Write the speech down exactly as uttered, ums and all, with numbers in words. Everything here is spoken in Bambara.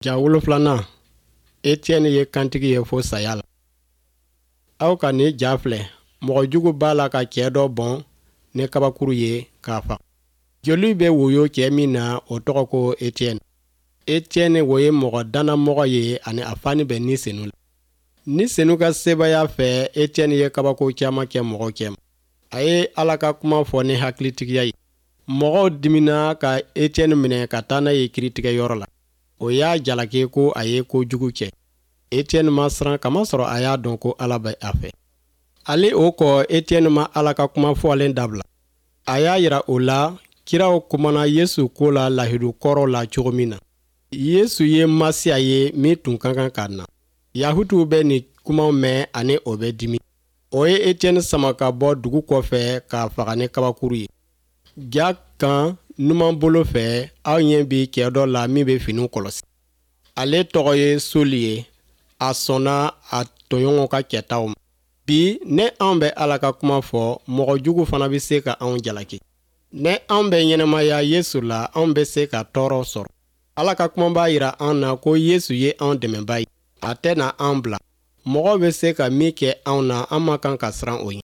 Ja wolonfilanan, Etiɛni ye kantigi ye fo saya la. Aw ka nin ja filɛ, mɔgɔ jugu b'a la ka cɛ dɔ bɔn ni kabakuru ye k'a faga. Joli bɛ woyo cɛ min na, o tɔgɔ ko Etiɛni. Etiɛni o ye mɔgɔ dannamɔgɔ ye ani a fani bɛ Ni Senu la. Ni Senu ka sebaaya fɛ, Etiɛni ye kabako caman kɛ mɔgɔw cɛma. A ye Ala ka kuma fɔ ni hakilitigiya ye. Mɔgɔw dimina ka Etiɛni minɛ ka taa n'a ye kiritigɛyɔrɔ la. O y'a jalaki ko a ye ko jugu kɛ. Etiɛni ma siran kamasɔrɔ a y'a dɔn ko Ala bɛ a fɛ. Ale o kɔ, Etiɛni ma Ala ka kuma fɔlen dabila. A y'a jira o la kiraw kumana Yesu ko la lahidu kɔrɔ la cogo min na. Yesu ye Masiya ye min tun ka kan ka na. Yahutuw bɛ nin kumaw mɛn ani o bɛ dimi. O ye Etiɛni sama ka bɔ dugu kɔfɛ k'a faga ni kabakuru ye. Ja kan numan bolo fɛ, aw ɲɛ bɛ cɛ dɔ la min bɛ finiw kɔlɔsi. Ale tɔgɔ ye Soli ye. A sɔnna a tɔɲɔgɔnw ka kɛtaw ma. Bi, ne anw bɛ Ala ka kuma fɔ, mɔgɔ jugu fana bɛ se ka anw jalaki. Ne anw bɛ ɲɛnamaya Yesu la, anw bɛ se ka tɔɔrɔ sɔrɔ. Ala ka kuma b'a jira an na ko Yesu ye anw dɛmɛbaa ye. A tɛna an bila. Mɔgɔ bɛ se ka min kɛ anw na, an man kan ka siran o ɲɛ.